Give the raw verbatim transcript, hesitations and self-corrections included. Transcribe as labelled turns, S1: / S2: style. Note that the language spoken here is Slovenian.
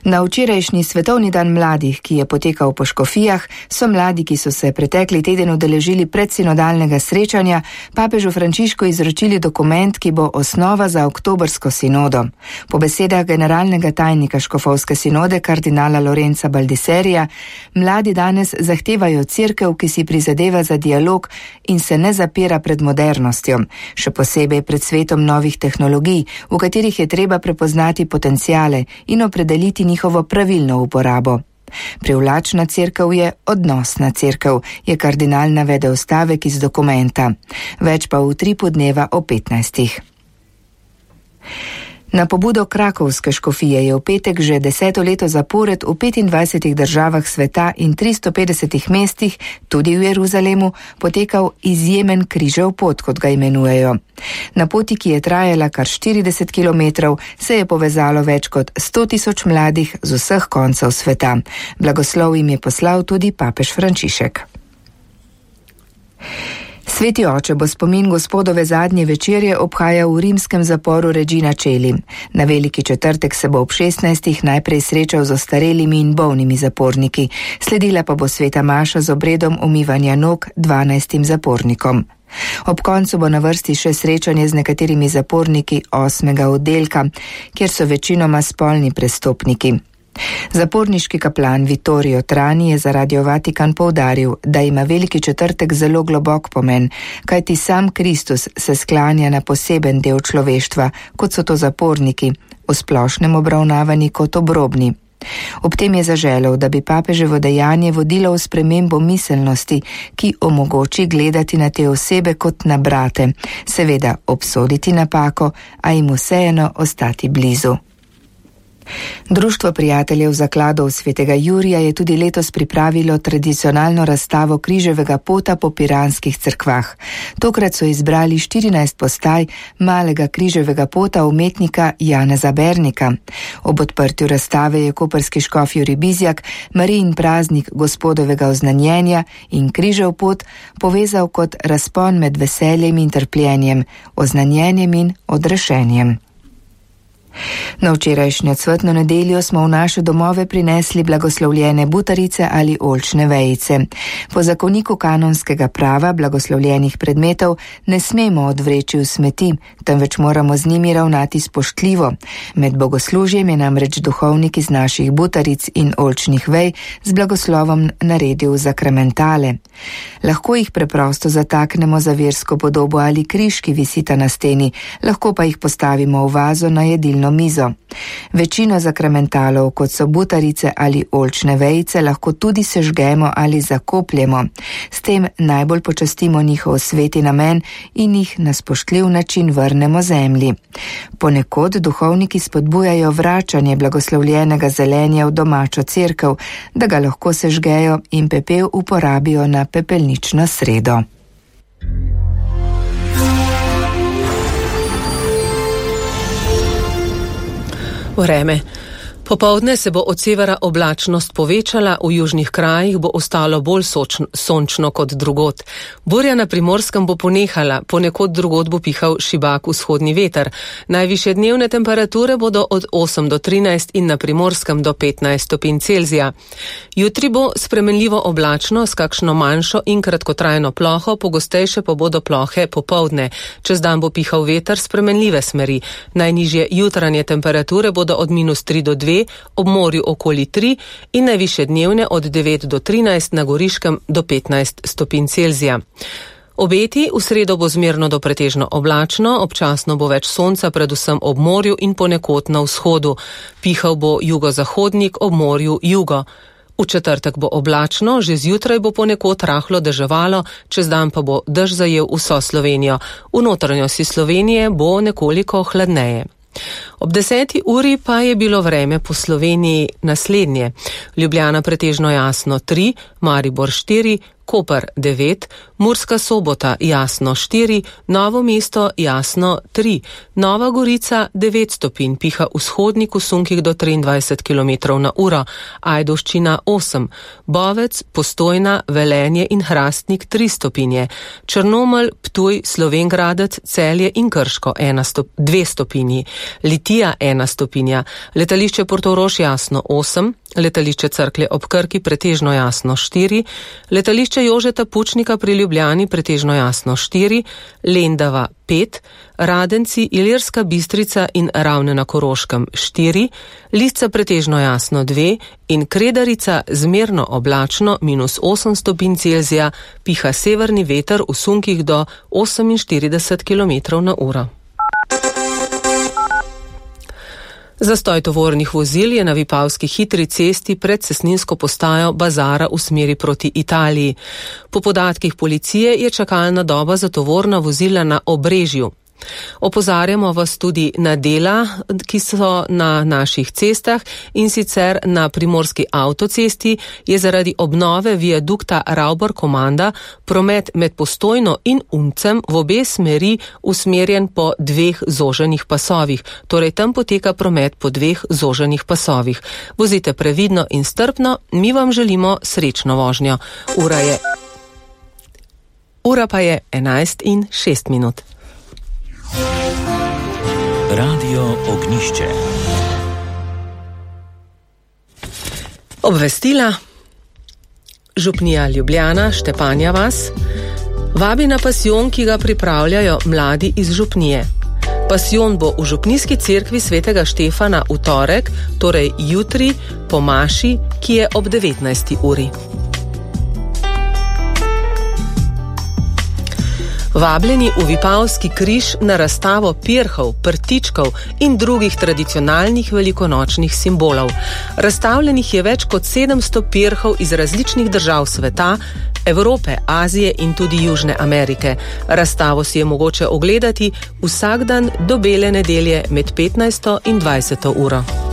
S1: Na včerajšnji svetovni dan mladih, ki je potekal po Škofijah, so mladi, ki so se pretekli teden udeležili predsinodalnega srečanja, papežu Frančišku izročili dokument, ki bo osnova za oktobrsko sinodo. Po besedah generalnega tajnika škofovske sinode kardinala Lorenza Baldiserija, mladi danes zahtevajo cerkev, ki si prizadeva za dialog in se ne zapira pred modernostjo, še posebej pred svetom novih tehnologij, v katerih je treba prepoznati potenciale in opredeliti njihovo pravilno uporabo. Privlačna cerkev je odnosna cerkev, je kardinal navedel stavek iz dokumenta. Več pa v tripu dneva o petnajstih. Na pobudo krakovske škofije je v petek že deseto leto zapored v petindvajsetih državah sveta in tristo petdesetih mestih, tudi v Jeruzalemu, potekal izjemen križev pot, kot ga imenujejo. Na poti, ki je trajala kar štirideset kilometrov, se je povezalo več kot sto tisoč mladih z vseh koncev sveta. Blagoslov jim je poslal tudi papež Frančišek. Sveti oče bo spomin gospodove zadnje večerje obhajal v rimskem zaporu Regina Coeli. Na veliki četrtek se bo ob šestnajstih najprej srečal z ostarelimi in bolnimi zaporniki, sledila pa bo sveta maša z obredom umivanja nog dvanajstim zapornikom. Ob koncu bo na vrsti še srečanje z nekaterimi zaporniki osmega oddelka, kjer so večinoma spolni prestopniki. Zaporniški kaplan Vittorio Trani je za Radio Vatikan poudaril, da ima veliki četrtek zelo globok pomen, kajti sam Kristus se sklanja na poseben del človeštva, kot so to zaporniki, v splošnem obravnavani kot obrobni. Ob tem je zaželel, da bi papeževo dejanje vodilo v spremembo miselnosti, ki omogoči gledati na te osebe kot na brate, seveda obsoditi napako, a jim vseeno ostati blizu. Društvo prijateljev zakladov svetega Jurija je tudi letos pripravilo tradicionalno razstavo križevega pota po piranskih cerkvah. Tokrat so izbrali štirinajst postaj malega križevega pota umetnika Janeza Bernika. Ob odprtju razstave je koprski škof Jurij Bizjak Marijin praznik gospodovega oznanjenja in križev pot povezal kot razpon med veseljem in trpljenjem, oznanjenjem in odrešenjem. Na včerajšnjo cvetno nedeljo smo v naše domove prinesli blagoslovljene butarice ali oljčne vejice. Po zakoniku kanonskega prava blagoslovljenih predmetov ne smemo odvreči v smeti, temveč moramo z njimi ravnati spoštljivo. Med bogoslužjem je namreč duhovnik iz naših butaric in oljčnih vej z blagoslovom naredil zakramentale. Lahko jih preprosto zataknemo za versko podobo ali križ, ki visita na steni, lahko pa jih postavimo v vazo na jedilno mizo. Večino zakramentalov, kot so butarice ali oljčne vejice, lahko tudi sežgemo ali zakopljemo. S tem najbolj počastimo njihov sveti namen in jih na spoštljiv način vrnemo zemlji. Ponekod duhovniki spodbujajo vračanje blagoslovljenega zelenja v domačo cerkev, da ga lahko sežgejo in pepel uporabijo na pepelnično sredo.
S2: Vreme. Popoldne se bo od severa oblačnost povečala, v južnih krajih bo ostalo bolj sočno, sončno kot drugod. Burja na Primorskem bo ponehala, ponekod drugod bo pihal šibak vzhodni veter. Najvišje dnevne temperature bodo od osem do trinajst in na Primorskem do petnajst stopinj Celzija. Jutri bo spremenljivo oblačno s kakšno manjšo in kratkotrajno ploho, pogostejše pa bodo plohe popoldne. Čez dan bo pihal veter spremenljive smeri. Najnižje jutranje temperature bodo od minus tri do dve, ob morju okoli tri in najvišje dnevne od devet do trinajst, na Goriškem do petnajst stopinj Celzija. Obeti: v sredo bo zmerno do pretežno oblačno, občasno bo več sonca, predvsem ob morju in ponekod na vzhodu. Pihal bo jugozahodnik, ob morju jugo. V četrtek bo oblačno, že zjutraj bo ponekod rahlo deževalo, čez dan pa bo dež zajel vso Slovenijo. V notranjosti Slovenije bo nekoliko hladneje. Ob deseti uri pa je bilo vreme po Sloveniji naslednje. Ljubljana pretežno jasno tri, Maribor štiri, Koper devet, Murska Sobota jasno štiri, Novo mesto jasno tri, Nova Gorica devet stopinj, piha vzhodnik v sunkih do triindvajset kilometrov na uro, Ajdovščina osem, Bovec, Postojna, Velenje in Hrastnik tri stopinje, Črnomelj, Ptuj, Slovenjgradec, Celje in Krško dve stopinji, Litija ena stopinja, letališče Portorož jasno osem, letališče Cerklje ob Krki pretežno jasno štiri, letališče Jožeta Pučnika pri Ljubljani pretežno jasno štiri, Lendava pet, Radenci, Ilirska Bistrica in Ravne na Koroškem štiri, Lisca pretežno jasno dve in Kredarica zmerno oblačno minus osem stopinj Celzija, piha severni veter v sunkih do oseminštirideset kilometrov na uro. Zastoj tovornih vozil je na Vipavski hitri cesti pred cestninsko postajo Bazara v smeri proti Italiji. Po podatkih policije je čakalna doba za tovorna vozila na Obrežju. Opozarjamo vas tudi na dela, ki so na naših cestah, in sicer na primorski avtocesti je zaradi obnove viadukta Ravbor-Komanda promet med Postojno in Uncem v obe smeri usmerjen po dveh zoženih pasovih, torej tam poteka promet po dveh zoženih pasovih. Vozite previdno in strpno, mi vam želimo srečno vožnjo. Ura je... Ura pa je enajst in šest minut.
S3: Radio Ognjišče.
S2: Obvestila. Župnija Ljubljana, Štepanja vas, vabi na pasijon, ki ga pripravljajo mladi iz župnije. Pasijon bo v župnijski cerkvi svetega Štefana v torek, torej jutri, po maši, ki je ob devetnajsti uri. Vabljeni v Vipavski križ na razstavo pirhov, prtičkov in drugih tradicionalnih velikonočnih simbolov. Razstavljenih je več kot sedemsto pirhov iz različnih držav sveta, Evrope, Azije in tudi Južne Amerike. Razstavo si je mogoče ogledati vsak dan do bele nedelje med petnajsto in dvajseto uro.